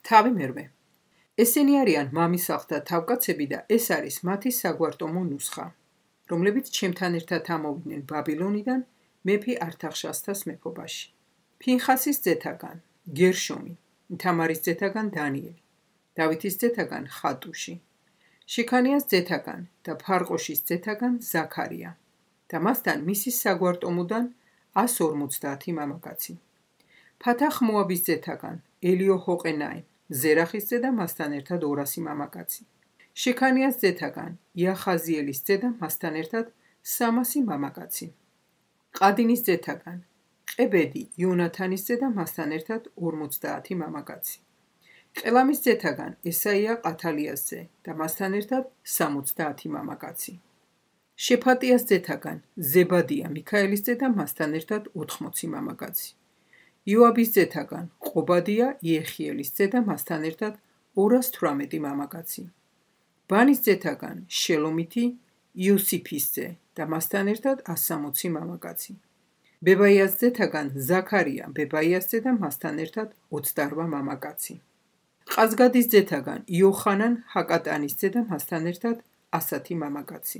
თავი მერვე. ესენი არიან მამისახლთა თავკაცები და ეს არის მათი საგვარტომო ნუსხა, რომლებიც ჩემთან ერთად ამოვიდნენ ბაბილონიდან მეფე ართახშასთას მეფობაში. ფინხასის ძეთაგან გერშომი, თამარის ძეთაგან დანიელი, დავითის ძეთაგან ხატუში, შიქანიას ძეთაგან და ფარყოშის ძეთაგან ზაქარია და მასთან მისი საგვარტომოდან 150 მამაკაცი. ფათახ მოაბის ძეთაგან ელიოჰოყენაი, ზერახის ძე და მასთან ერთად 200 მამაკაცი. შიქანიას ძეთაგან იახაზიელის ძე და მასთან ერთად 300 მამაკაცი. ყადინის ძეთაგან ყებედი იონათანის ძე და მასთან ერთად 50 მამაკაცი. ყელამის ძეთაგან ესაია ყათალიას ძე და მასთან ერთად 70 მამაკაცი. შეფატიას ძეთაგან ზებადია მიქაელის ძე და მასთან ერთად 80 მამაკაცი. იოაბის ძეთაგან ყობადია იეხიელის ძე და მასთან ერთად 218 მამაკაცი. ბანის ძეთაგან შელომითი იოსიფის ძე და მასთან ერთად 160 მამაკაცი. ბებაიას ძეთაგან ზაქარია ბებაიას ძე და მასთან ერთად 28 მამაკაცი. ყაზგადის ძეთაგან იოხანან ჰაკატანის ძე და მასთან ერთად 100 მამაკაცი.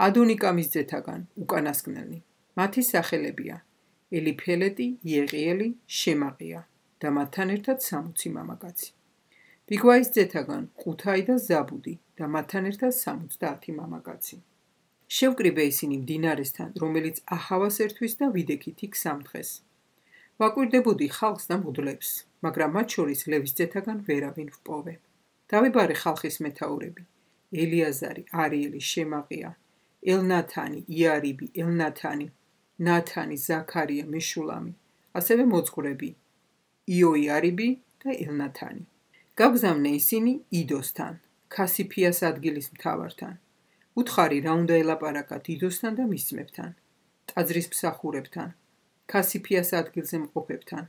ადონიკამის ძეთაგან უკანასკნელი, მათი სახელებია ელიფელეტი, იეყიელი, შემაყია და მათთან ერთად 60 მამაკაცი. ბიგვაის ძეთაგან ყუთაი და ზაბუდი და მათთან ერთად 70 მამაკაცი. შევკრიბე ისინი მდინარესთან, რომელიც აჰავას ერთვის და ვიდექით იქ 3 დღეს. ვაკვირდებოდი ხალხს და მღვდლებს, მაგრამ მათ შორის ლევის ძეთაგან ვერავინ ვპოვე. დავიბარე ხალხის მეთაურები, ელიაზარი, არიელი, შემაყია, ელნათანი, იარიბი, ელნათანი, ნათანი, ზაქარია, მეშულამი, ასევე მოძღვრები, იოიარიბი და ელნათანი. გაგზავნე ისინი იდოსთან, ქასიფიას ადგილის მთავართან. უთხარი რა უნდა ელაპარაკათ იდოსთან და მის ძმებთან, ტაძრის მსახურებთან, ქასიფიას ადგილზე მყოფებთან,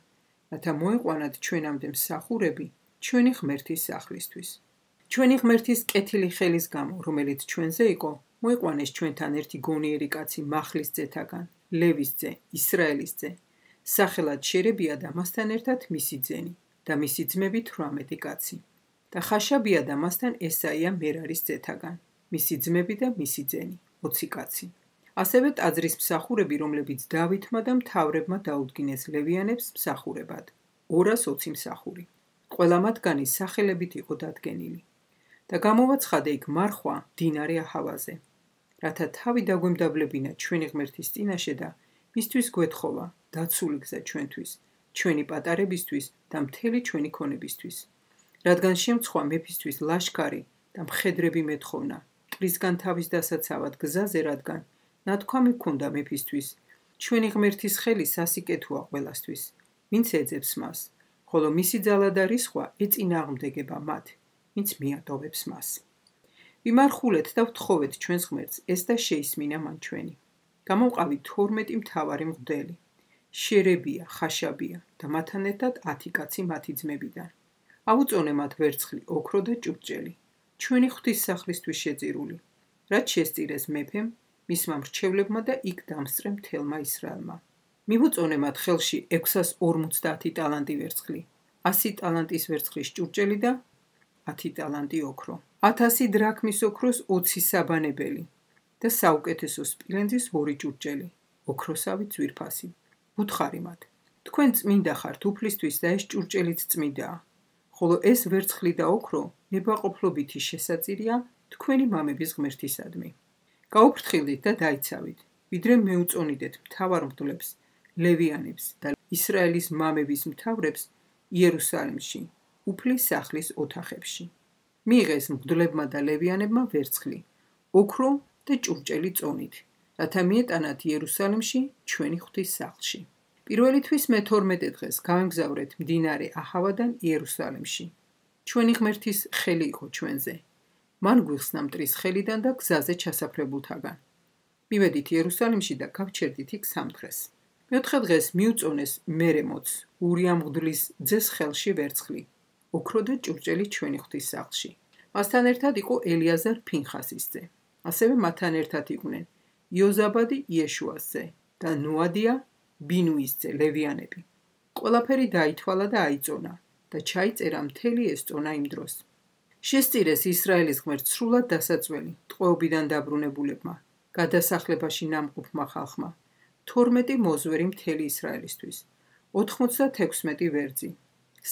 რათა მოეყვანათ ჩვენამდე მსახურები ჩვენი ღმერთის სახლისთვის. ჩვენი ღმერთის კეთილი ხელის გამო, რომელიც ჩვენზე იყო, მოეყვანეს ჩვენთან ერთი გონიერი კაცი მახლის ძეთაგან, ლევის ძე, ისრაელის ძე, სახელად შერებია და მასთან ერთად მისი ძენი და მისი ძმები 18 კაცი. და ხაშაბია და მასთან ესაია მერარის ძეთაგან, მისი ძმები და მისი ძენი 20 კაცი. ასევე ტაძრის მსახურები, რომლებიც დავითმა და მთავრებმა დაუდგინეს ლევიანებს მსახურებად, 220 მსახური. ყველა მათგანი სახელებით იყო დადგენილი. და გამოვაცხადე იქ მარხვა მდინარე აჰავაზე, რათა თავი დაგვემდაბლებინა ჩვენი ღმერთის წინაშე და მისთვის გვეთხოვა დაცული გზა ჩვენთვის, ჩვენი პატარებისთვის და მთელი ჩვენი ქონებისთვის. რადგან შემცხვა მეფისთვის ლაშქარი და მხედრები მეტხოვნა, მტვრისგან თავის დასაცავად გზაზე, რადგან ნათქვამი ჰქონდა მეფისთვის, ჩვენი ღმერთის ხელი სასიკეთოა ყველასთვის, ვინც ეძებს მას, ხოლო მისი ძალა და რისხვა ეწინააღმდეგება მათ, ვინც მიატოვებს მას. ვიმარხულეთ და ვთხოვეთ ჩვენს ღმერთს ეს და შეისმინა მან ჩვენი. გამოვყავით 12 მთავარი მღვდელი, შერებია, ხაშაბია და მათთან ერთად 10 კაცი მათი ძმებიდან. ავუწონე მათ ვერცხლი, ოქრო და ჭურჭელი, ჩვენი ღვთისსახლისთვის შეწირული, რაც შესწირეს მეფემ, მისმა მრჩევლებმა და იქ დამსწრე მთელმა ისრაელმა. მივუწონე მათ ხელში 650 ტალანტი ვერცხლი, 100 ტალანტის ვერცხლის ჭურჭელი და 10 ტალანტი ოქრო, 1000 დრაქმის ოქროს 20 საბანებელი და საუკეთესო სპილენძის 2 ჭურჭელი, ოქროსავით ძვირფასი. ვუთხარი მათ, თქვენ წმინდა ხართ უფლისთვის და ეს ჭურჭელიც წმინდაა, ხოლო ეს ვერცხლი და ოქრო ნებაყოფლობითი შესაწირია თქვენი მამების ღმერთისადმი. გაუფრთხილდით და დაიცავით, ვიდრე მეუწონიდეთ მთავარ მღვდლებს, ლევიანებს და ისრაელის მამების მთავრებს იერუსალიმში, უფლის სახლის ოთახებში. მიიღეს მღვდლებმა და ლევიანებმა ვერცხლი, ოქრო და ჭურჭელი წონით, რათა მიეტანათ იერუსალიმში ჩვენი ღვთის სახლში. პირველი თვის მე-12 დღეს გავემგზავრეთ მდინარე აჰავადან იერუსალიმში. ჩვენი ღმერთის ხელი იყო ჩვენზე. მან გვიხსნა მტრის ხელიდან და გზაზე ჩასაფრებულთაგან. მივედით იერუსალიმში და გავჩერდით იქ 3 დღეს. მეოთხე დღეს მიუწონეს მერემოც, ურია მღვდლის ძეს ხელში ვერცხლი, ოქრო და ჭურჭელი ჩვენი ღვთის სახლში. მასთან ერთად იყო ელიაზარ ფინხასის ძე. ასევე მათთან ერთად იყვნენ იოზაბადი იეშუას ძე და ნოადია ბინუის ძე ლევიანები. ყველაფერი დაითვალა და აიწონა. და ჩაიწერა მთელი ეს წონა იმ დროს. შესწირეს ისრაელის ღმერთს სრულად დასაწველი ტყვეობიდან დაბრუნებულებმა, გადასახლებაში ნამყოფმა ხალხმა, 12 მოზვერი მთელი ისრაელისთვის, 96 ვერძი,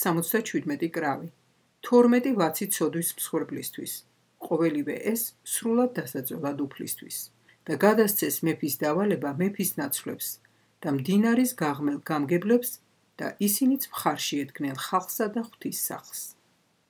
77 კრავი, 12 ვაცი ცოდვის მსხვერპლისთვის, ყოველივე ეს სრულად დასაწველად უფლისთვის და გადასცეს მეფის დავალება მეფის ნაცვლებს და მდინარის გაღმელ გამგებლებს და ისინიც მხარში ედგნენ ხალხსა და ღვთის სახლს.